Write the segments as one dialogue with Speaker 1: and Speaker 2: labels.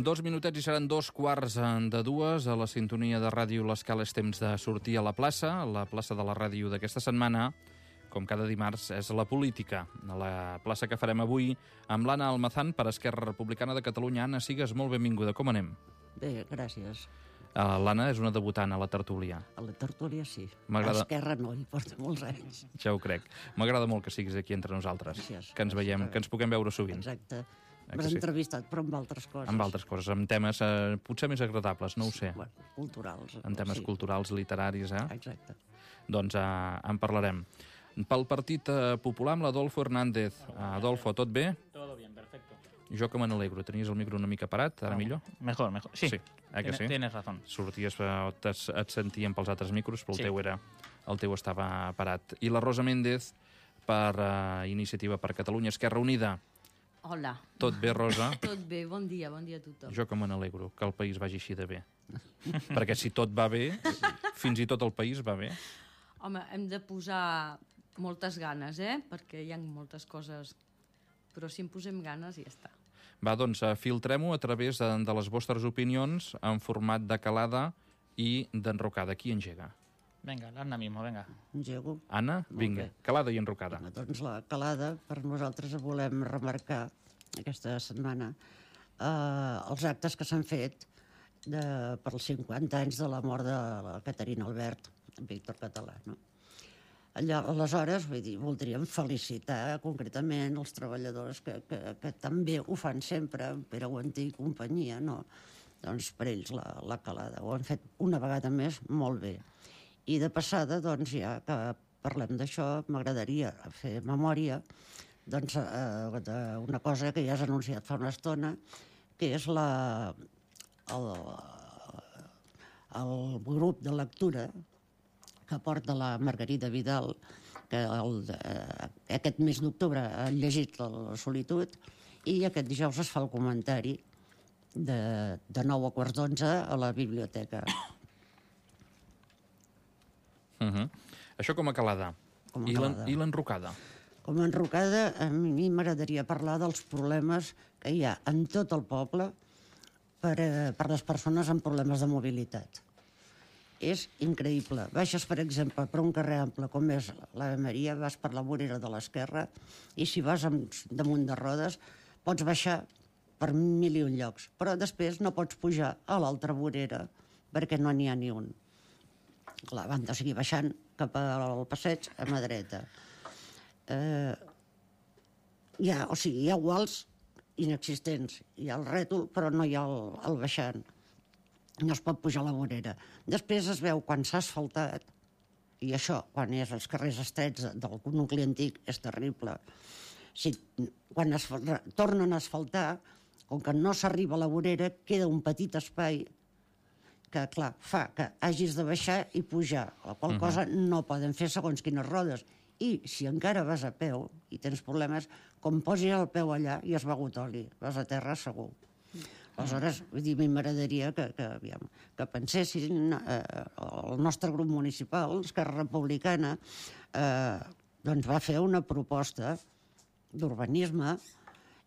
Speaker 1: 2 minutets i seran 2:15 a la sintonia de ràdio L'Escala. És temps de sortir a la plaça de la ràdio d'aquesta setmana. Com cada dimarts, és la política. A la plaça que farem avui amb l'Anna Almazán per Esquerra Republicana de Catalunya. Anna, sigues molt benvinguda. Com anem?
Speaker 2: Bé, gràcies.
Speaker 1: L'Anna és una debutant a la tertúlia.
Speaker 2: A la tertúlia sí. A Esquerra no, hi porta molts anys.
Speaker 1: Ja ho crec. M'agrada molt que siguis aquí entre nosaltres.
Speaker 2: Gràcies.
Speaker 1: Que ens veiem, que ens puguem veure sovint.
Speaker 2: Exacte. M'has entrevistat, però amb altres coses.
Speaker 1: Amb altres coses, amb temes potser més agradables, no ho sé.
Speaker 2: Bueno, culturals.
Speaker 1: En temes culturals, literaris,
Speaker 2: Exacte.
Speaker 1: Doncs en parlarem. Pel Partit Popular, amb l'Adolfo Hernández. Adolfo, tot bé?
Speaker 3: Todo bien, perfecto.
Speaker 1: Jo que me n'alegro. Tenies el micro una mica parat, ara millor?
Speaker 3: Mejor. Sí,
Speaker 1: que sí?
Speaker 3: Tienes razón.
Speaker 1: Sorties, et sentíem pels altres micros, però
Speaker 3: Sí.
Speaker 1: el teu estava parat. I la Rosa Méndez, per Iniciativa per Catalunya, Esquerra Unida.
Speaker 4: Hola.
Speaker 1: Tot bé, Rosa?
Speaker 4: Tot bé, bon dia a tothom.
Speaker 1: Jo que me n'alegro, que el país vagi així de bé. Perquè si tot va bé, fins i tot el país va bé.
Speaker 4: Home, hem de posar moltes ganes, perquè hi ha moltes coses, però si en posem ganes ja està.
Speaker 1: Va, doncs, filtrem-ho a través de les vostres opinions en format de calada i d'enrocada. Qui engega?
Speaker 3: Venga, Anna mismo, venga.
Speaker 2: Engego.
Speaker 1: Anna? Vinga, calada i enrocada.
Speaker 2: Doncs la calada, per nosaltres volem remarcar aquesta setmana els actes que s'han fet per els 50 anys de la mort de la Caterina Albert, Víctor Català, no? Aleshores, voldríem felicitar concretament els treballadors que també ho fan sempre, Pere Guantí i companyia, no? Doncs per ells la calada. Ho han fet una vegada més molt bé. I de passada, doncs, ja que parlem d'això, m'agradaria fer memòria d'una cosa que ja has anunciat fa una estona, que és el grup de lectura que porta la Margarida Vidal, que aquest mes d'octubre ha llegit La solitud, i aquest dijous es fa el comentari de 9 a quarts d'11 a la biblioteca.
Speaker 1: Això com a calada. I l'enrocada?
Speaker 2: Com a enrocada, a mi m'agradaria parlar dels problemes que hi ha en tot el poble per les persones amb problemes de mobilitat. És increïble. Baixes, per exemple, per un carrer ample com és l'Ave Maria, vas per la vorera de l'esquerra i si vas damunt de rodes pots baixar per 1001 llocs, però després no pots pujar a l'altra vorera perquè no n'hi ha ni un. Clar, van de seguir baixant cap al passeig a mà dreta. Hi ha guals inexistents, hi ha el rètol però no hi ha el baixant. No es pot pujar a la vorera. Després es veu quan s'ha asfaltat, i això, quan és als carrers estrets del nucli antic, és terrible. Quan tornen a asfaltar, com que no s'arriba a la vorera, queda un petit espai que, clar, fa que hagis de baixar i pujar, la qual cosa no poden fer segons quines rodes. I si encara vas a peu i tens problemes, com posis el peu allà i has begut oli, vas a terra segur. Aleshores, a mi m'agradaria que pensessin el nostre grup municipal, Esquerra Republicana, doncs va fer una proposta d'urbanisme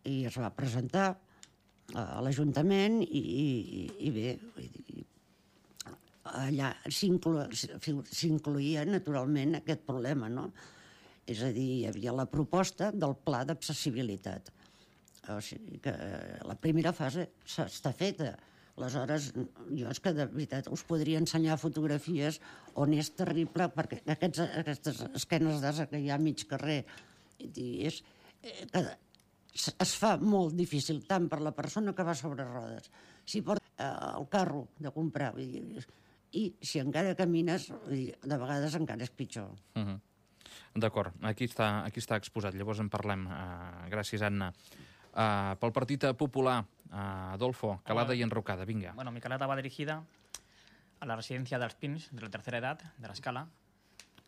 Speaker 2: i es va presentar a l'Ajuntament i bé, allà s'incloïa naturalment aquest problema, no? És a dir, hi havia la proposta del pla d'accessibilitat. O sigui que la primera fase està feta. Aleshores, jo és que de veritat us podria ensenyar fotografies on és terrible, perquè aquestes esquenes d'asa que hi ha a mig carrer es fa molt difícil tant per la persona que va sobre rodes, si porta el carro de comprar, i si encara camines, de vegades encara és pitjor.
Speaker 1: D'acord, aquí està exposat, llavors en parlem. Gràcies, Anna. Pel Partit Popular, Adolfo, calada y enrocada, venga.
Speaker 3: Bueno, mi calada va dirigida a la residencia de Alpins, de la tercera edad, de la Escala,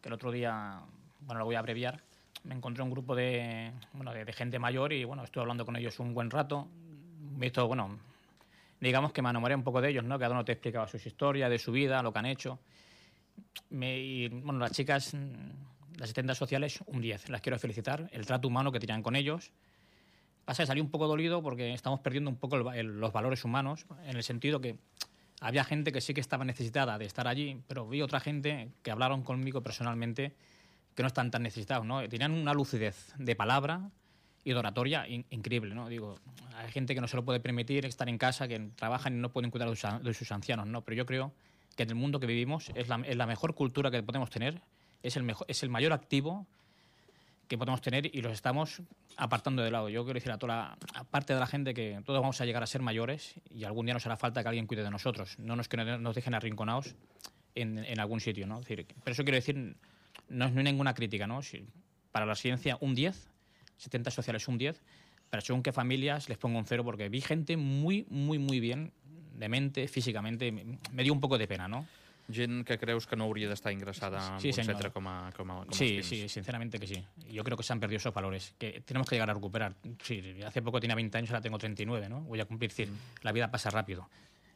Speaker 3: que el otro día, bueno, lo voy a abreviar, me encontré un grupo de gente mayor y, bueno, estuve hablando con ellos un buen rato. Visto, bueno, digamos que me enamoré un poco de ellos, ¿no? Cada uno te explicaba sus historias, de su vida, lo que han hecho. Y, bueno, las chicas, las asistentas sociales, un 10. Las quiero felicitar. El trato humano que tenían con ellos, Pasa que salí un poco dolido porque estamos perdiendo un poco los valores humanos, en el sentido que había gente que sí que estaba necesitada de estar allí, pero vi otra gente que hablaron conmigo personalmente que no están tan necesitados, ¿no? Tenían una lucidez de palabra y de oratoria increíble, ¿no? Digo, hay gente que no se lo puede permitir estar en casa, que trabajan y no pueden cuidar de sus ancianos, ¿no? Pero yo creo que en el mundo que vivimos es la mejor cultura que podemos tener, es el mayor activo que podemos tener y los estamos apartando de lado. Yo quiero decir a toda la parte de la gente que todos vamos a llegar a ser mayores y algún día nos hará falta que alguien cuide de nosotros, no nos que nos dejen arrinconados en algún sitio, ¿no? Es decir, pero eso quiero decir, no hay ninguna crítica, ¿no? Para la residencia un 10, 70 sociales un 10, pero según qué familias les pongo un 0 porque vi gente muy, muy, muy bien, de mente, físicamente, me dio un poco de pena, ¿no?
Speaker 1: Gent que creus que no hauria d'estar ingressada en un centre com els
Speaker 3: Sí,
Speaker 1: Pins.
Speaker 3: sí, sinceramente que sí. Yo creo que se han perdido esos valores, que tenemos que llegar a recuperar. Sí, hace poco tenía 20 años, ahora tengo 39, ¿no? Voy a cumplir 100. La vida pasa rápido.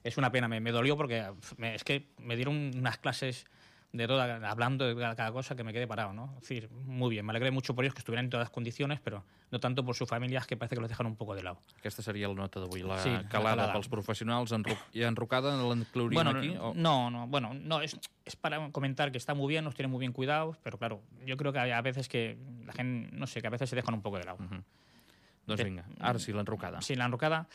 Speaker 3: Es una pena, me dolió porque es que me dieron unas clases de toda, hablando de cada cosa que me quedé parado, ¿no? Es decir, muy bien, me alegré mucho por ellos que estuvieran en todas las condiciones, pero no tanto por sus familias, que parece que los dejan un poco de lado.
Speaker 1: Aquesta seria la nota d'avui, la
Speaker 3: Sí,
Speaker 1: calada pels professionals. I enrocada l'inclouríem
Speaker 3: Bueno,
Speaker 1: aquí?
Speaker 3: no, es para comentar que está muy bien, nos tienen muy bien cuidados, pero claro, yo creo que a veces que la gente, no sé, que a veces se dejan un poco de lado.
Speaker 1: Doncs vinga, ara sí, l'enrocada.
Speaker 3: Sí, la enrocada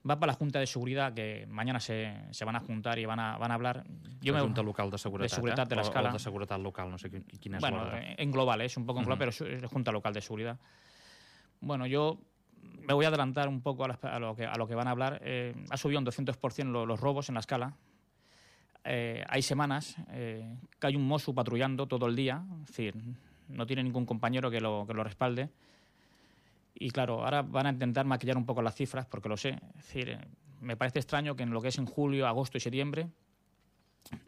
Speaker 3: va para la Junta de Seguridad, que mañana se van a juntar y van a hablar.
Speaker 1: La Junta Local de Seguretat,
Speaker 3: de Seguretat de l'Escala.
Speaker 1: O de Seguretat Local, no sé quina és
Speaker 3: bueno,
Speaker 1: l'ordre.
Speaker 3: en global, es un poco en global, pero es la Junta Local de Seguridad. Bueno, yo me voy a adelantar un poco a lo que van a hablar. Ha subido un 200% los robos en la Escala. Hay semanas que hay un Mosu patrullando todo el día, es decir, no tiene ningún compañero que lo respalde. Y claro, ahora van a intentar maquillar un poco las cifras, porque lo sé. Es decir, me parece extraño que en lo que es en julio, agosto y septiembre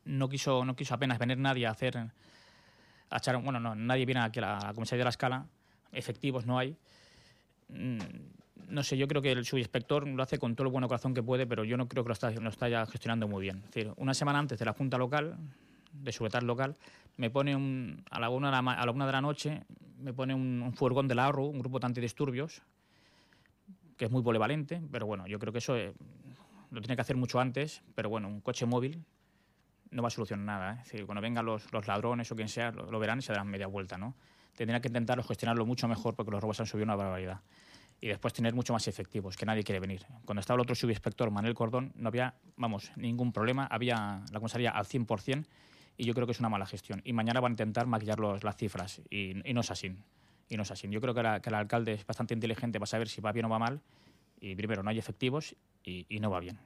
Speaker 3: no quiso apenas venir nadie a echar. Bueno, no, nadie viene aquí a la comisaría de la Escala. Efectivos no hay. No sé, yo creo que el subinspector lo hace con todo el buen corazón que puede, pero yo no creo que lo está ya gestionando muy bien. Es decir, una semana antes de la Junta Local, de Seguridad Local, me pone a la 1 de la noche, me pone un furgón de la ARRU, un grupo de antidisturbios, que es muy polivalente, pero bueno, yo creo que eso lo tiene que hacer mucho antes, pero bueno, un coche móvil no va a solucionar nada, ¿eh? Es decir, cuando vengan los ladrones o quien sea, lo verán y se darán media vuelta, ¿no? Tendrían que intentarlo gestionarlo mucho mejor porque los robos han subido una barbaridad. Y después tener mucho más efectivos, que nadie quiere venir. Cuando estaba el otro subinspector, Manuel Cordón, no había, ningún problema, había la comisaría al 100%, y yo creo que es una mala gestión. Y mañana van a intentar maquillar las cifras, y no es así. Y no es así. Yo creo que el alcalde es bastante inteligente para saber si va bien o va mal, y primero, no hay efectivos y no va bien.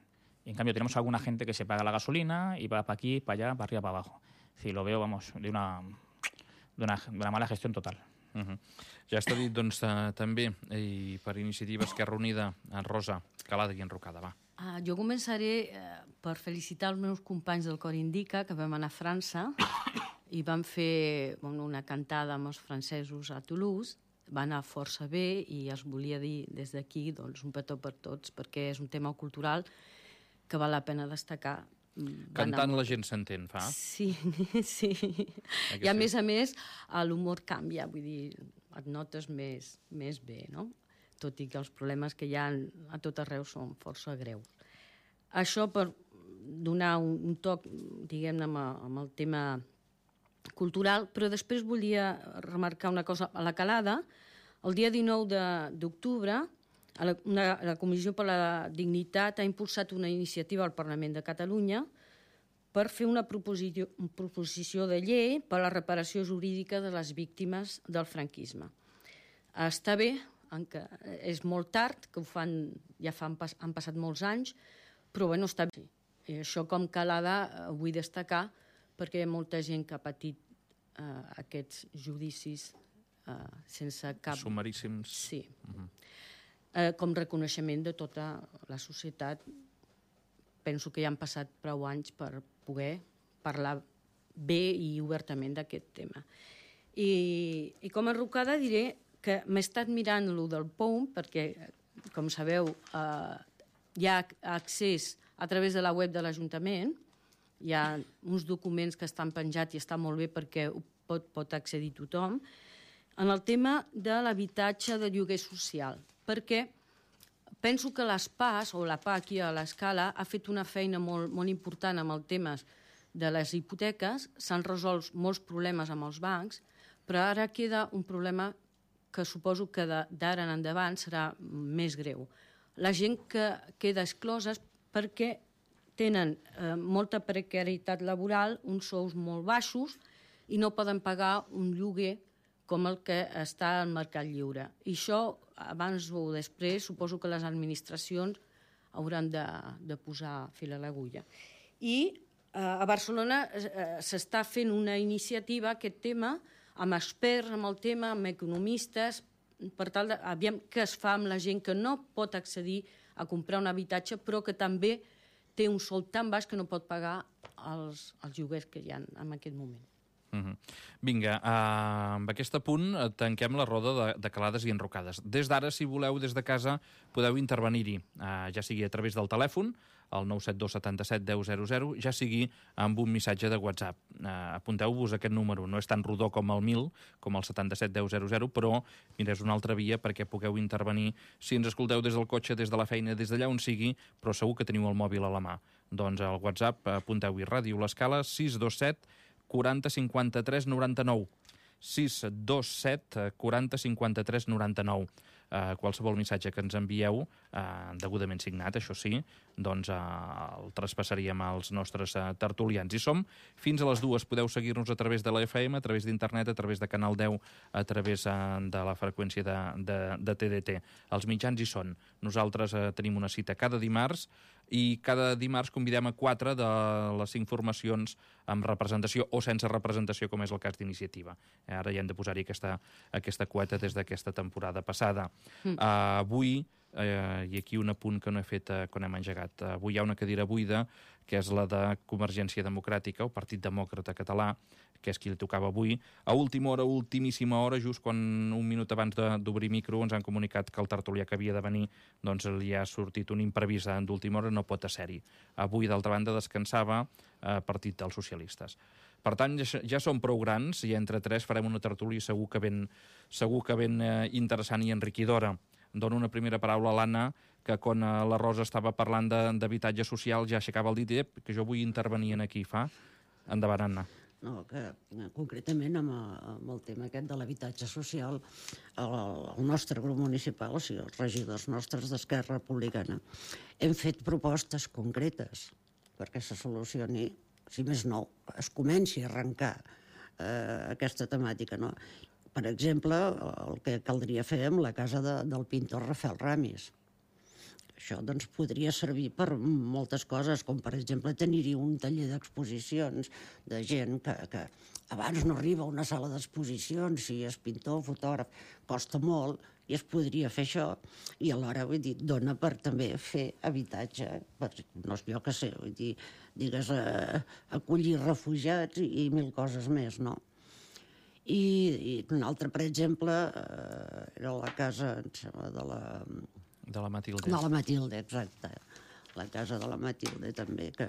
Speaker 3: Y en cambio tenemos alguna gente que se paga la gasolina y va para aquí, para allá, para arriba, para abajo. Sí, lo veo, de una mala gestión total.
Speaker 1: Ja està dit, doncs, també, i per iniciativa Esquerra Unida, Rosa, calada i enrocada, va.
Speaker 4: Jo començaré per felicitar els meus companys del Cor Indica, que vam anar a França i vam fer una cantada amb els francesos a Toulouse. Va anar força bé i els volia dir des d'aquí un petó per tots, perquè és un tema cultural que val la pena destacar.
Speaker 1: Cantant la gent s'entén, fa?
Speaker 4: Sí, sí. I a més, l'humor canvia, vull dir, et notes més bé, no? Tot i que els problemes que hi ha a tot arreu són força greus. Això per donar un toc, diguem-ne, amb el tema cultural, però després volia remarcar una cosa. A la Calada, el dia 19 d'octubre, la Comissió per la Dignitat ha impulsat una iniciativa al Parlament de Catalunya per fer una proposició de llei per a la reparació jurídica de les víctimes del franquisme. Està bé, és molt tard, que ho fan, han passat molts anys, però bueno, està bé. I això com Calada ho vull destacar perquè hi ha molta gent que ha patit aquests judicis sense cap...
Speaker 1: Sumaríssims.
Speaker 4: Sí. Com reconeixement de tota la societat. Penso que ja han passat prou anys per poder parlar bé i obertament d'aquest tema. I com a enrocada diré que m'he estat mirant lo del POUM perquè, com sabeu, hi ha accés a través de la web de l'Ajuntament, hi ha uns documents que estan penjats i està molt bé perquè pot accedir tothom, en el tema de l'habitatge de lloguer social. perquè penso que l'ESPAS, o la PA aquí a l'Escala, ha fet una feina molt important amb els temes de les hipoteques, s'han resolt molts problemes amb els bancs, però ara queda un problema que suposo que d'ara en endavant serà més greu. La gent que queda exclosa perquè tenen molta precarietat laboral, uns sous molt baixos i no poden pagar un lloguer com el que està al mercat lliure. I això, abans o després, suposo que les administracions hauran de posar fil a l'agulla. I a Barcelona s'està fent una iniciativa, aquest tema, amb experts amb el tema, amb economistes, per tal de aviam què es fa amb la gent que no pot accedir a comprar un habitatge, però que també té un sou tan baix que no pot pagar els lloguers que hi ha en aquest moment.
Speaker 1: Vinga, amb aquest punt tanquem la roda de calades i enrocades. Des d'ara, si voleu, des de casa, podeu intervenir-hi, ja sigui a través del telèfon, el 972 77 10 00, ja sigui amb un missatge de WhatsApp. Apunteu-vos aquest número, no és tan rodó com el 1000, com el 77 10 00, però mira, és una altra via perquè pugueu intervenir si ens escolteu des del cotxe, des de la feina, des d'allà on sigui, però segur que teniu el mòbil a la mà. Doncs al WhatsApp apunteu-hi Ràdio L'Escala 627 40 53 99. 627 40 53 99. Qualsevol missatge que ens envieu, degudament signat, això sí, doncs el traspassaríem als nostres tertulians. I som fins a les 2. Podeu seguir-nos a través de la FM, a través d'internet, a través de Canal 10, a través de la freqüència de TDT. Els mitjans hi són. Nosaltres tenim una cita cada dimarts i cada dimarts convidem a 4 de les 5 formacions amb representació o sense representació, com és el cas d'Iniciativa. Ara ja hem de posar-hi aquesta quota des d'aquesta temporada passada. Avui, i aquí un apunt que no he fet quan hem engegat, avui hi ha una cadira buida, que és la de Convergència Democràtica, o Partit Demòcrata Català, que és qui li tocava avui. A última hora, ultimíssima hora, just quan un minut abans d'obrir micro ens han comunicat que el tertulià que havia de venir doncs li ha sortit un imprevist d'última hora, no pot ser-hi. Avui, d'altra banda, descansava Partit dels Socialistes. Per tant, ja som prou grans i entre 3 farem una tertúlia segur que ben interessant i enriquidora. Dono una primera paraula a l'Anna, que quan la Rosa estava parlant d'habitatge social ja aixecava el dit, que jo vull intervenir aquí. Endavant, Anna.
Speaker 2: No, que concretament amb el tema aquest de l'habitatge social, el nostre grup municipal, o sigui, els regidors nostres d'Esquerra Republicana, hem fet propostes concretes perquè se solucioni, si més no, es comenci a arrencar aquesta temàtica, no? Per exemple, el que caldria fer amb la casa del pintor Rafael Ramis. Això doncs, podria servir per moltes coses, com per exemple tenir-hi un taller d'exposicions de gent que abans no arriba a una sala d'exposicions, si és pintor, fotògraf, costa molt, i es podria fer això, i alhora, vull dir, dona per també fer habitatge, no jo què sé, vull dir, digues, acollir refugiats i mil coses més, no? I un altre, per exemple, era la casa, em sembla,
Speaker 1: de la Matilde.
Speaker 2: De la Matilde, exacte. La casa de la Matilde, també, que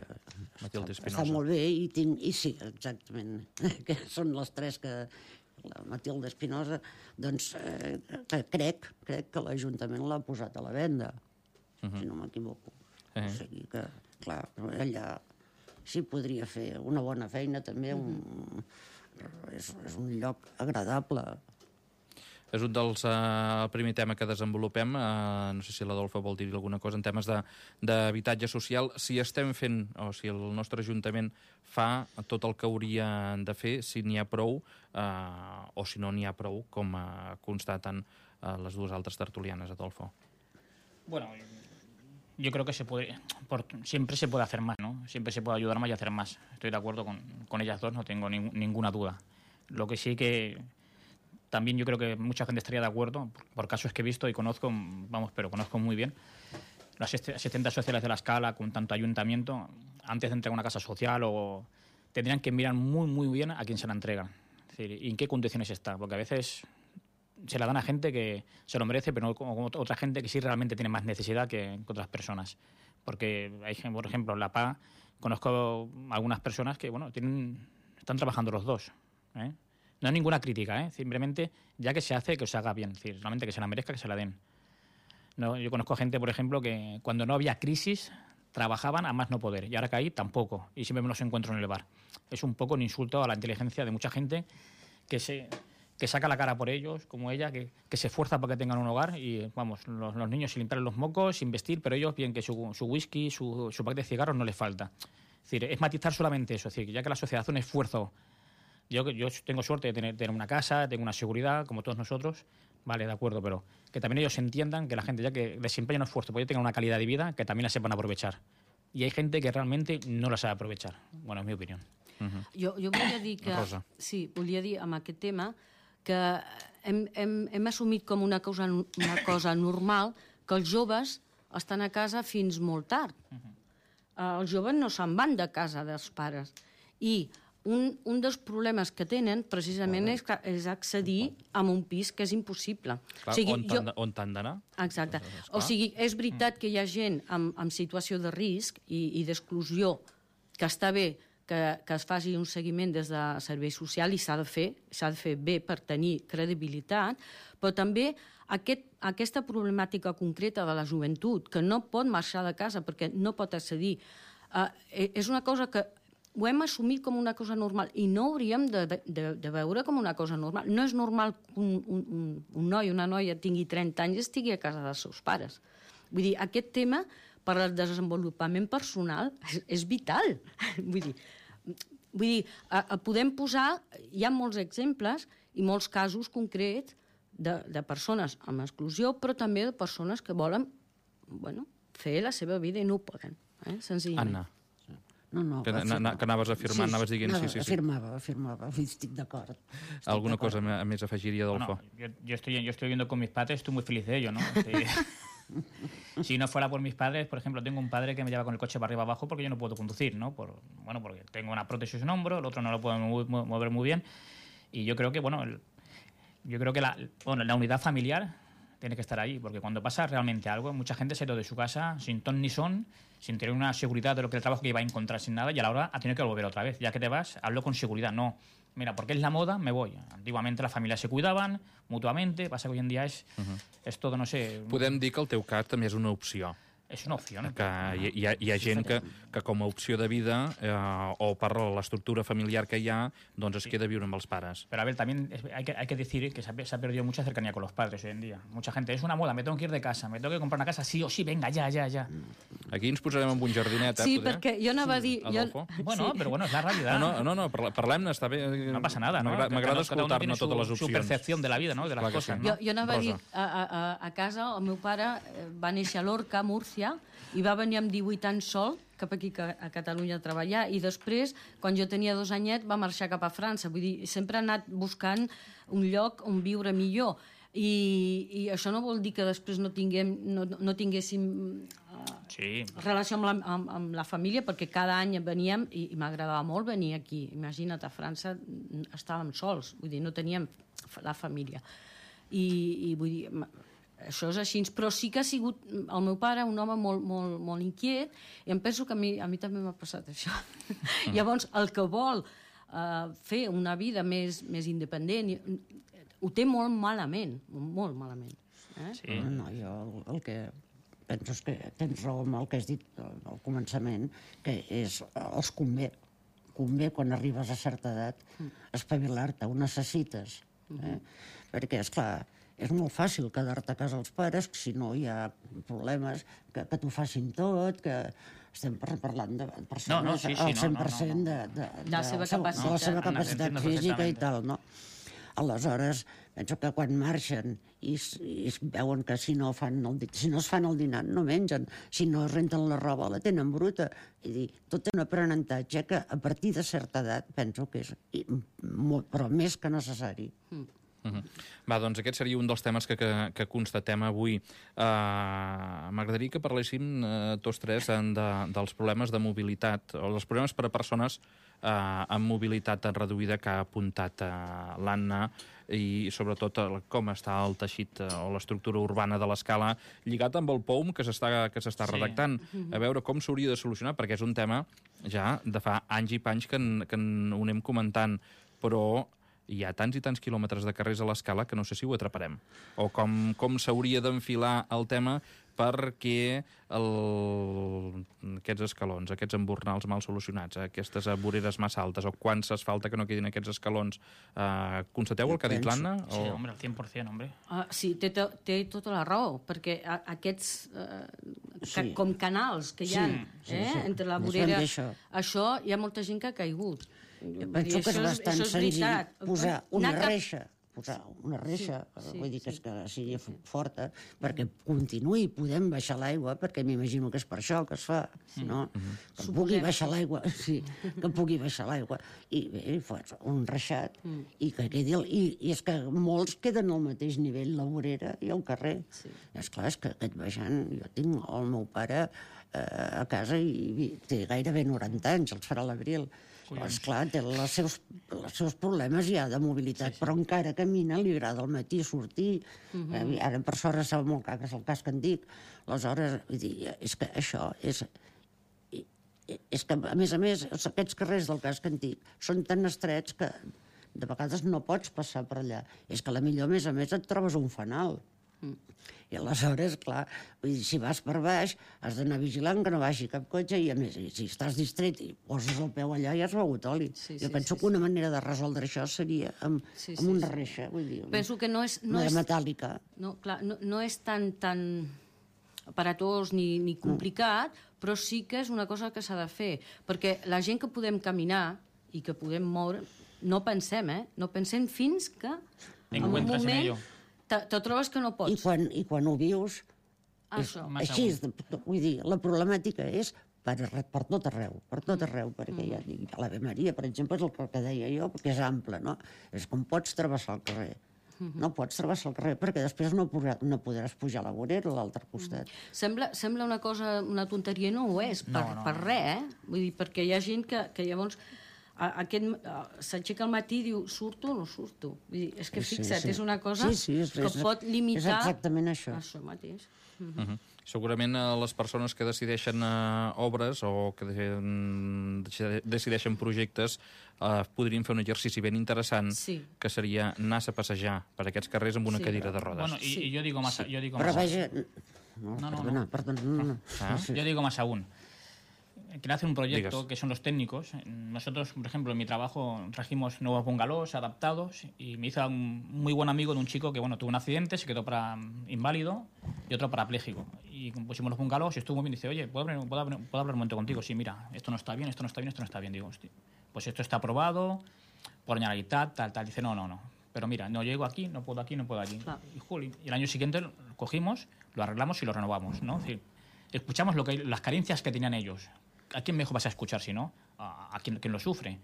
Speaker 1: Matilde Espinosa.
Speaker 2: Està molt bé, i sí, exactament, que són les 3 que... La Matilde Espinosa, doncs crec que l'Ajuntament l'ha posat a la venda, si no m'equivoco. O sigui que, clar, allà sí podria fer una bona feina, també, és un lloc agradable.
Speaker 1: És un dels primer tema que desenvolupem. No sé si l'Adolfa vol dir alguna cosa en temes d'habitatge social. Si estem fent, o si el nostre Ajuntament fa tot el que hauria de fer, si n'hi ha prou, o si no n'hi ha prou, com constaten les 2 altres tertulianes, Adolfo.
Speaker 3: Bueno, yo creo que siempre se puede hacer más, ¿no? Siempre se puede ayudar más y hacer más. Estoy de acuerdo con ellas dos, no tengo ninguna duda. Lo que sí que también yo creo que mucha gente estaría de acuerdo, por casos que he visto y conozco, pero conozco muy bien, las asistentes sociales de la Escala, con tanto ayuntamiento, antes de entregar una casa social, tendrían que mirar muy, muy bien a quién se la entregan. Es decir, y en qué condiciones está, porque a veces se la dan a gente que se lo merece, pero no como otra gente que sí realmente tiene más necesidad que otras personas. Porque hay, por ejemplo, en la PA conozco algunas personas que, bueno, están trabajando los dos, ¿eh? No hay ninguna crítica, simplemente ya que se hace, que se haga bien, es decir, solamente que se la merezca, que se la den. No, yo conozco gente, por ejemplo, que cuando no había crisis trabajaban a más no poder y ahora que hay tampoco y siempre me los encuentro en el bar. Es un poco un insulto a la inteligencia de mucha gente que saca la cara por ellos, como ella, que se esfuerza para que tengan un hogar y, vamos, los niños sin limpiar los mocos, sin vestir, pero ellos bien que su whisky, su paquete de cigarros no les falta. Es decir, es matizar solamente eso, es decir, ya que la sociedad hace un esfuerzo. Yo tengo suerte de tener una casa, tengo una seguridad, como todos nosotros, vale, de acuerdo, pero que también ellos entiendan que la gente, ya que desempeña un esfuerzo, puede tener una calidad de vida, que también la sepan aprovechar. Y hay gente que realmente no la sabe aprovechar. Bueno, és mi opinió.
Speaker 4: Jo volia dir que...
Speaker 1: Rosa.
Speaker 4: Sí, volia dir amb aquest tema que hem assumit com una cosa normal que els joves estan a casa fins molt tard. Els joves no se'n van de casa dels pares. I un dels problemes que tenen precisament és accedir a un pis que és impossible.
Speaker 1: Clar, on t'han d'anar?
Speaker 4: Exacte. O sigui, és veritat que hi ha gent en situació de risc i d'exclusió que està bé que es faci un seguiment des de servei social i s'ha de fer bé per tenir credibilitat, però també aquesta problemàtica concreta de la joventut, que no pot marxar de casa perquè no pot accedir, és una cosa que ho hem assumit com una cosa normal i no hauríem de veure com una cosa normal. No és normal que un noi o una noia tingui 30 anys i estigui a casa dels seus pares. Vull dir, aquest tema per al desenvolupament personal és vital. Vull dir, podem posar, hi ha molts exemples i molts casos concrets de persones amb exclusió, però també de persones que volen fer la seva vida i no ho poden, senzillament.
Speaker 1: Anna.
Speaker 2: No,
Speaker 1: que anaves afirmant, anaves dient sí.
Speaker 2: Afirmava, estic d'acord.
Speaker 1: Alguna cosa més afegiria, Adolfo?
Speaker 3: Yo estoy viviendo con mis padres, estoy muy feliz de ello, ¿no? Si no fuera por mis padres, por ejemplo, tengo un padre que me lleva con el coche para arriba abajo porque yo no puedo conducir, ¿no? Porque tengo una prótesis en un hombro, el otro no lo puedo mover muy bien. Y yo creo que, la unidad familiar tiene que estar ahí, porque cuando pasa realmente algo, mucha gente se ha ido de su casa sin ton ni son, sin tener una seguridad de lo que el trabajo que iba a encontrar, sin nada, y a la hora ha tenido que volver otra vez. Ya que te vas, hazlo con seguridad, no. Mira, porque es la moda, me voy. Antiguamente las familias se cuidaban mutuamente, pasa que hoy en día es todo, no sé...
Speaker 1: Podem dir que el teu cas també és una opció.
Speaker 3: És una opció, ¿no?
Speaker 1: Que hi ha gent que com a opció de vida o per l'estructura familiar que hi ha, doncs es queda a viure amb els pares.
Speaker 3: Pero a ver, también hay que decir que se ha perdido mucha cercanía con los padres hoy en día. Mucha gente, es una moda, me tengo que ir de casa, me tengo que comprar una casa sí o sí, venga, ya.
Speaker 1: Aquí ens posarem amb un jardinet,
Speaker 4: Sí, perquè jo anava a dir...
Speaker 1: Adolfo?
Speaker 3: Bueno, pero bueno, es la realidad.
Speaker 1: No, parlem-ne, està bé.
Speaker 3: No passa nada, ¿no?
Speaker 1: M'agrada escoltar-ne totes les opcions.
Speaker 3: Su percepción de la vida, ¿no? De las cosas, ¿no?
Speaker 4: Jo anava a dir, a casa, el meu pare va néixer a Lorca, Múrcia, i va venir amb 18 anys sol cap aquí a Catalunya a treballar i després, quan jo tenia 2 anyets, va marxar cap a França. Vull dir, sempre ha anat buscant un lloc on viure millor. I això no vol dir que després no tinguéssim relació amb la família, perquè cada any veníem i m'agradava molt venir aquí. Imagina't, a França estàvem sols, vull dir, no teníem la família. I vull dir... Això és així, però sí que ha sigut el meu pare un home molt inquiet i em penso que a mi també m'ha passat això. Llavors, el que vol fer una vida més independent ho té molt malament, molt malament.
Speaker 3: Sí.
Speaker 2: No, jo el que penso és que tens raó amb el que has dit al començament, que els convé quan arribes a certa edat espavilar-te, ho necessites. Perquè, esclar, és molt fàcil quedar-te a casa els pares, si no hi ha problemes, que t'ho facin tot, que estem parlant de persones al 100% de la seva capacitat física i tal, no? Aleshores, penso que quan marxen i veuen que si no es fan el dinar no mengen, si no es renten la roba la tenen bruta, tot té un aprenentatge que a partir de certa edat penso que és però més que necessari.
Speaker 1: Va, doncs aquest seria un dels temes que constatem avui. M'agradaria que parléssim tots tres dels problemes de mobilitat, o dels problemes per a persones amb mobilitat reduïda que ha apuntat l'Anna, i sobretot com està el teixit o l'estructura urbana de l'Escala, lligat amb el POUM que s'està redactant. A veure com s'hauria de solucionar, perquè és un tema ja de fa anys i panys que ho anem comentant, però hi ha tants i tants quilòmetres de carrers a l'Escala que no sé si ho atraparem. O com s'hauria d'enfilar el tema perquè aquests escalons, aquests embornals mal solucionats, aquestes voreres massa altes, o quan s'asfalta que no quedin aquests escalons, constateu el que ha dit l'Anna?
Speaker 3: Sí, hombre, al 100%, hombre.
Speaker 4: Sí, té tota la raó, perquè aquests com canals que hi ha entre la vorera, això hi ha molta gent que ha caigut.
Speaker 2: Penso que és bastant senzill posar una reixa, vull dir que sigui forta, perquè continuï podem baixar l'aigua, perquè m'imagino que és per això que es fa, no? Que pugui baixar l'aigua, sí, que pugui baixar l'aigua. I bé, un reixat, i que quedi... I és que molts queden al mateix nivell, la vorera i el carrer. Esclar, és que aquest baixant, jo tinc el meu pare a casa i té gairebé 90 anys, els farà l'abril. Esclar, té els seus problemes ja de mobilitat, però encara camina, li agrada al matí sortir. Ara per sort estava molt car, que és el casc antic. Aleshores, vull dir, és que això és que, a més, aquests carrers del casc antic són tan estrets que de vegades no pots passar per allà. És que potser, a més, et trobes un fanal. I aleshores, clar, si vas per baix, has d'anar vigilant que no vagi cap cotxe i, a més, si estàs distret i poses el peu allà, ja has begut oli. Jo penso que una manera de resoldre això seria amb una reixa, vull dir, una metàl·lica.
Speaker 4: No, clar, no és tan aparatós ni complicat, però sí que és una cosa que s'ha de fer, perquè la gent que podem caminar i que podem moure, no pensem, no pensem fins que en un moment te trobes que no pots.
Speaker 2: I quan ho vius, així, vull dir, la problemàtica és per tot arreu, perquè ja dic, l'Ave Maria, per exemple, és el que deia jo, perquè és ample, no? És com pots travessar el carrer. No pots travessar el carrer, perquè després no podràs pujar a la vorera a l'altre costat.
Speaker 4: Sembla una cosa, una tonteria, no ho és, per res, Vull dir, perquè hi ha gent que llavors s'aixeca al matí i diu, surto o no surto? Vull dir, és que fixa't, és una cosa que pot limitar...
Speaker 2: És exactament això.
Speaker 4: Això mateix.
Speaker 1: Segurament les persones que decideixen obres o que decideixen projectes podrien fer un exercici ben interessant, que seria anar-se a passejar per aquests carrers amb una cadira de rodes.
Speaker 3: Bueno, y yo digo más...
Speaker 2: Però vaja... Perdona.
Speaker 3: Yo digo más aún. Quiero hacer un proyecto que son los técnicos. Nosotros, por ejemplo, en mi trabajo trajimos nuevos bungalows adaptados y me hizo un muy buen amigo de un chico que, bueno, tuvo un accidente, se quedó inválido y otro parapléjico. Y pusimos los bungalows y estuvo muy bien. Dice, oye, ¿puedo hablar un momento contigo? Sí, mira, esto no está bien, esto no está bien, esto no está bien. Digo, hostia, pues esto está aprobado por Generalitat, tal. Dice, no. Pero mira, no llego aquí, no puedo aquí, no puedo allí. Y el año siguiente lo cogimos, lo arreglamos y lo renovamos, ¿no? Es decir, escuchamos las carencias que tenían ellos. ¿A quién mejor vas a escuchar si no? A quien lo sufre.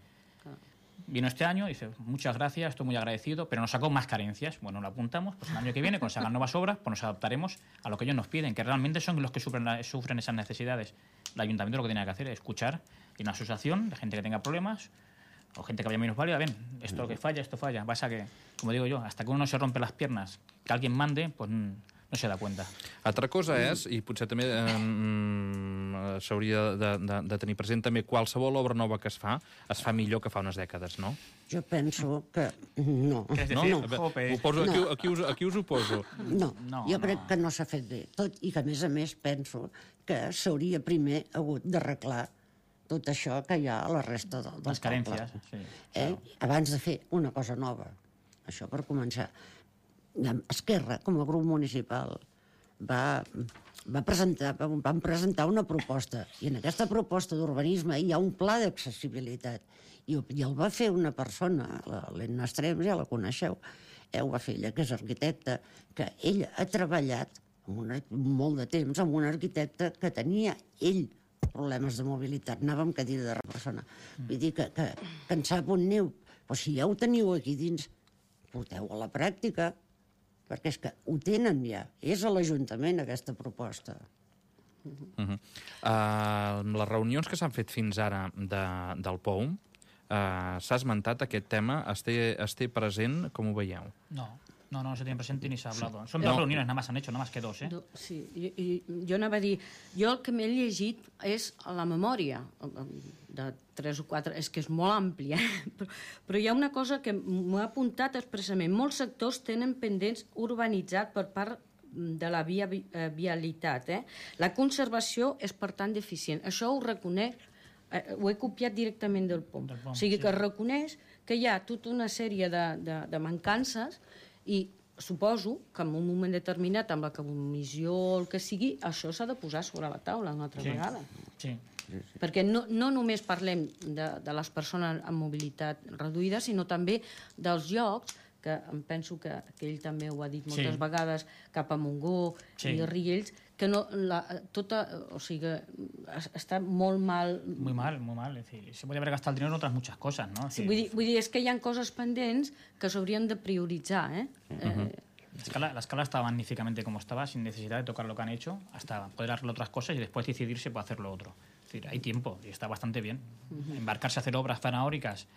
Speaker 3: Vino este año, dice, muchas gracias, estoy muy agradecido, pero nos sacó más carencias. Bueno, lo apuntamos, pues el año que viene, cuando se hagan nuevas obras, pues nos adaptaremos a lo que ellos nos piden, que realmente son los que sufren esas necesidades. El ayuntamiento lo que tiene que hacer es escuchar, y una asociación de gente que tenga problemas, o gente que vaya menos válida, ven, esto lo que falla, esto falla. Pasa que, como digo yo, hasta que uno no se rompe las piernas, que alguien mande, pues no se da cuenta.
Speaker 1: Altra cosa és, i potser també s'hauria de tenir present, també qualsevol obra nova que es fa millor que fa unes dècades, no?
Speaker 2: Jo penso que no.
Speaker 1: Aquí us ho poso.
Speaker 2: No, jo crec que no s'ha fet bé. Tot i que, a més, penso que s'hauria primer hagut d'arreglar tot això que hi ha a la resta del poble.
Speaker 3: Les carències, sí.
Speaker 2: Abans de fer una cosa nova. Això per començar. Esquerra, com a grup municipal, van presentar una proposta, i en aquesta proposta d'urbanisme hi ha un pla d'accessibilitat, i el va fer una persona, l'Enna Estrems, ja la coneixeu, ho va fer ella, que és arquitecta, que ella ha treballat molt de temps amb un arquitecte que tenia ell problemes de mobilitat, anava amb cadira de persona. Vull dir que en sap on aneu. Però si ja ho teniu aquí dins, porteu a la pràctica, perquè és que ho tenen ja. És a l'Ajuntament, aquesta proposta.
Speaker 1: Les reunions que s'han fet fins ara del POUM, s'ha esmentat aquest tema, es té present, com ho veieu?
Speaker 3: No. No, no se tiene presente ni se ha hablado. Son dos reuniones, nada más han hecho, nada más que dos, ¿eh?
Speaker 4: Sí, i jo anava a dir, jo el que m'he llegit és la memòria de 3 o 4, és que és molt àmplia, però hi ha una cosa que m'ho ha apuntat expressament. Molts sectors tenen pendents urbanitzats per part de la vialitat. La conservació és, per tant, deficient. Això ho reconec, ho he copiat directament del POM. O sigui que reconeix que hi ha tota una sèrie de mancances i suposo que en un moment determinat, amb la comissió o el que sigui, això s'ha de posar sobre la taula una altra vegada.
Speaker 3: Sí.
Speaker 4: Perquè no només parlem de les persones amb mobilitat reduïda, sinó també dels llocs, que em penso que ell també ho ha dit moltes vegades, cap a Montgó i Riells, que o sigui, està molt mal...
Speaker 3: Muy mal, muy mal. Es decir, se puede haber gastado el dinero en otras muchas cosas, ¿no?
Speaker 4: Sí, vull dir, és que hi ha coses pendents que s'haurien de prioritzar,
Speaker 3: La escala está magníficamente como estaba, sin necesidad de tocar lo que han hecho, hasta poder hacer otras cosas y después decidirse para hacer lo otro. Es decir, hay tiempo y está bastante bien. Embarcarse a hacer obras faraónicas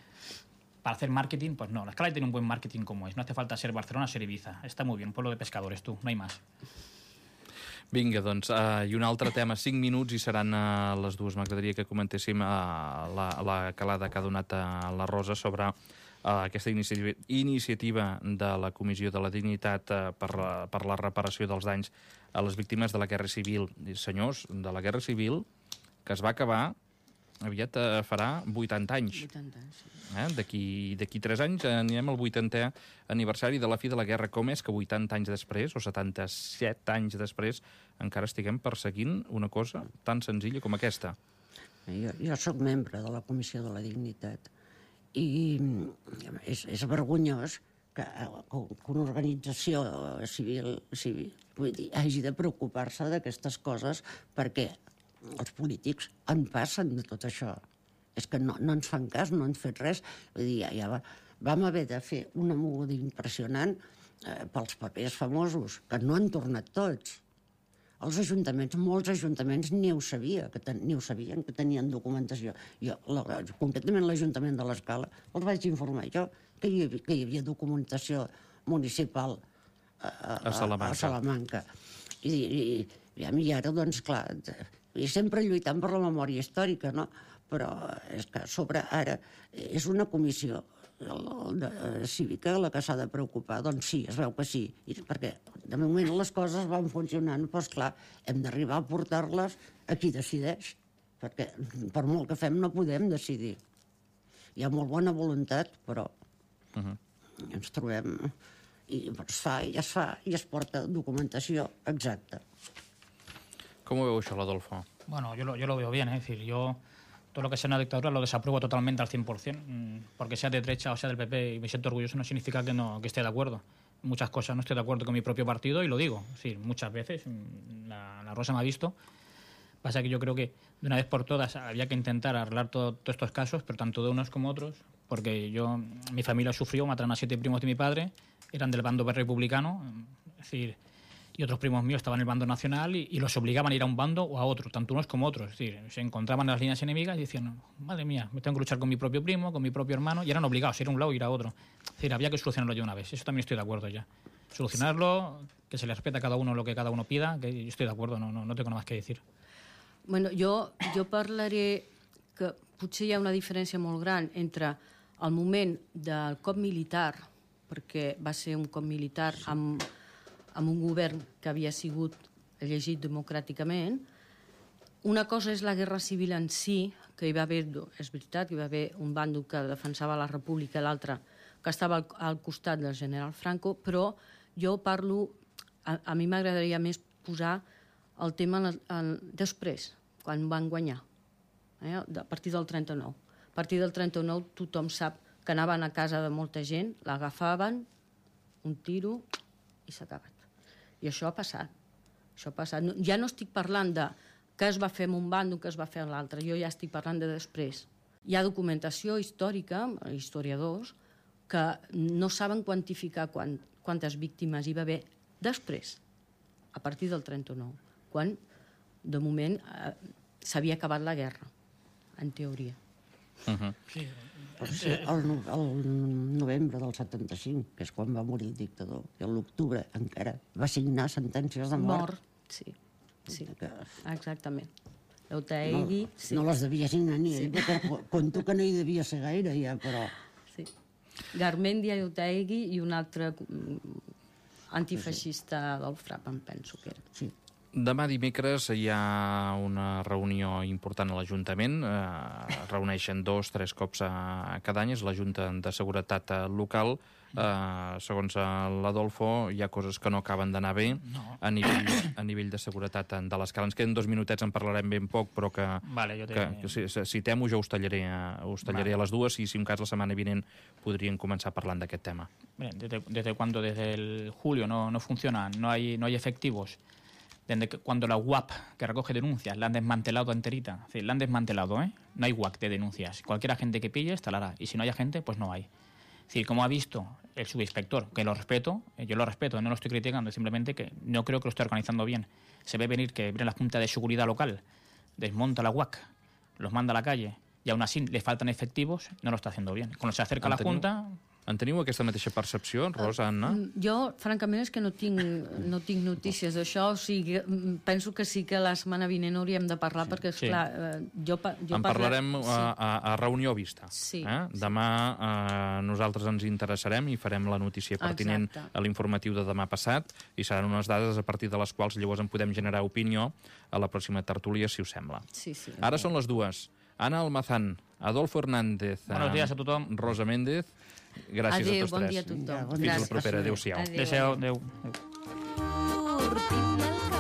Speaker 3: para hacer marketing, pues no. La escala tiene un buen marketing como es. No hace falta ser Barcelona, ser Ibiza. Está muy bien, pueblo de pescadores, tú, no hay más.
Speaker 1: Vinga, doncs, i un altre tema, 5 minuts i seran les dues. M'agradaria que comentéssim la calada que ha donat a la Rosa sobre aquesta iniciativa de la Comissió de la Dignitat per la reparació dels danys a les víctimes de la Guerra Civil. Senyors, de la Guerra Civil, que es va acabar, aviat farà 80 anys.
Speaker 4: 80 anys, sí.
Speaker 1: D'aquí 3 anys anirem al 80è aniversari de la fi de la guerra. Com és que 80 anys després, o 77 anys després, encara estiguem perseguint una cosa tan senzilla com aquesta?
Speaker 2: Jo sóc membre de la Comissió de la Dignitat i és vergonyós que una organització civil hagi de preocupar-se d'aquestes coses, perquè els polítics en passen de tot això. És que no ens fan cas, no han fet res. Vull dir, ja vam haver de fer una moguda impressionant pels papers famosos, que no han tornat tots. Els ajuntaments, molts ajuntaments ni ho sabien que tenien documentació. Jo, concretament l'Ajuntament de l'Escala, els vaig informar jo que hi havia documentació municipal a Salamanca. I ara, doncs, clar, sempre lluitant per la memòria històrica, no? Però és que a sobre ara és una comissió cívica la que s'ha de preocupar. Doncs sí, es veu que sí, perquè de moment les coses van funcionant, però esclar, hem d'arribar a portar-les a qui decideix, perquè per molt que fem no podem decidir. Hi ha molt bona voluntat, però ens trobem i es fa i es porta documentació exacta.
Speaker 1: Com ho veu això, l'Adolfo?
Speaker 3: Bueno, yo lo veo bien, es decir, yo todo lo que sea una dictadura lo desapruebo totalmente al 100%, porque sea de derecha o sea del PP y me siento orgulloso no significa que esté de acuerdo. Muchas cosas no estoy de acuerdo con mi propio partido y lo digo, es decir, muchas veces, la Rosa me ha visto. Pasa que yo creo que de una vez por todas había que intentar arreglar todos estos casos, pero tanto de unos como otros, porque mi familia sufrió, mataron a 7 primos de mi padre, eran del bando republicano, es decir, y otros primos míos estaban en el bando nacional y los obligaban a ir a un bando o a otro, tanto unos como otros. Es decir, se encontraban en las líneas enemigas y decían, madre mía, me tengo que luchar con mi propio primo, con mi propio hermano, y eran obligados a ir a un lado y ir a otro. Es decir, había que solucionarlo ya una vez. Eso también estoy de acuerdo ya. Solucionarlo, que se le respete a cada uno lo que cada uno pida, que yo estoy de acuerdo, no tengo nada más que decir.
Speaker 4: Bueno, jo parlaré que potser hi ha una diferència molt gran entre el moment del cop militar, perquè va ser un cop militar amb un govern que havia sigut elegit democràticament. Una cosa és la guerra civil en si, que hi va haver, és veritat, que hi va haver un bàndol que defensava la república i l'altre que estava al costat del general Franco, però jo parlo, a mi m'agradaria més posar el tema després, quan van guanyar, a partir del 39. A partir del 39 tothom sap que anaven a casa de molta gent, l'agafaven, un tiro i s'ha acabat. I això ha passat. Ja no estic parlant de què es va fer en un bàndol, què es va fer en l'altre, jo ja estic parlant de després. Hi ha documentació històrica, historiadors, que no saben quantificar quantes víctimes hi va haver després, a partir del 39, quan, de moment, s'havia acabat la guerra, en teoria.
Speaker 3: Sí,
Speaker 2: Sí, el novembre del 75, que és quan va morir el dictador, i l'octubre encara va signar sentències de mort.
Speaker 4: Sí, exactament. L'Otaegui...
Speaker 2: No les devia signar ni ell, perquè conto que no hi devia ser gaire, ja, però...
Speaker 4: Sí. Garmendia i Otaegui i un altre antifeixista del FRAP, em penso que era.
Speaker 2: Sí.
Speaker 1: Demà dimecres hi ha una reunió important a l'Ajuntament. Reuneixen 2-3 cops cada any. És la Junta de Seguretat Local. Segons l'Adolfo, hi ha coses que no acaben d'anar bé a nivell de seguretat de l'escala. Ens queden 2 minutets, en parlarem ben poc, però que si temo jo us tallaré a les dues i si un cas la setmana vinent podríem començar parlant d'aquest tema.
Speaker 3: ¿Desde cuándo? Desde el julio no funciona, no hay efectivos. Desde cuando la UAP, que recoge denuncias, la han desmantelado enterita. Es decir, la han desmantelado, ¿eh? No hay UAP de denuncias. Cualquier agente que pille instalará. Y si no hay agente, pues no hay. Es decir, como ha visto el subinspector, que lo respeto, yo lo respeto, no lo estoy criticando, simplemente que no creo que lo esté organizando bien. Se ve venir que viene la Junta de Seguridad Local, desmonta la UAC, los manda a la calle, y aún así le faltan efectivos, no lo está haciendo bien. Cuando se acerca la Junta...
Speaker 1: En teniu aquesta mateixa percepció, Rosa, Anna?
Speaker 4: Jo, francament, és que no tinc notícies d'això. O sigui, penso que sí que la setmana vinent hauríem de parlar, perquè, esclar,
Speaker 1: en parlarem a reunió vista. Demà nosaltres ens interessarem i farem la notícia pertinent a l'informatiu de demà passat i seran unes dades a partir de les quals llavors en podem generar opinió a la pròxima tertúlia, si us sembla. Ara són les dues. Anna Almazán, Adolfo Hernández,
Speaker 3: Buenos días a tothom.
Speaker 1: Rosa Méndez, gràcies a tots tres.
Speaker 4: Bon dia a tothom.
Speaker 1: Fins la propera. Adéu-siau.
Speaker 3: Adéu.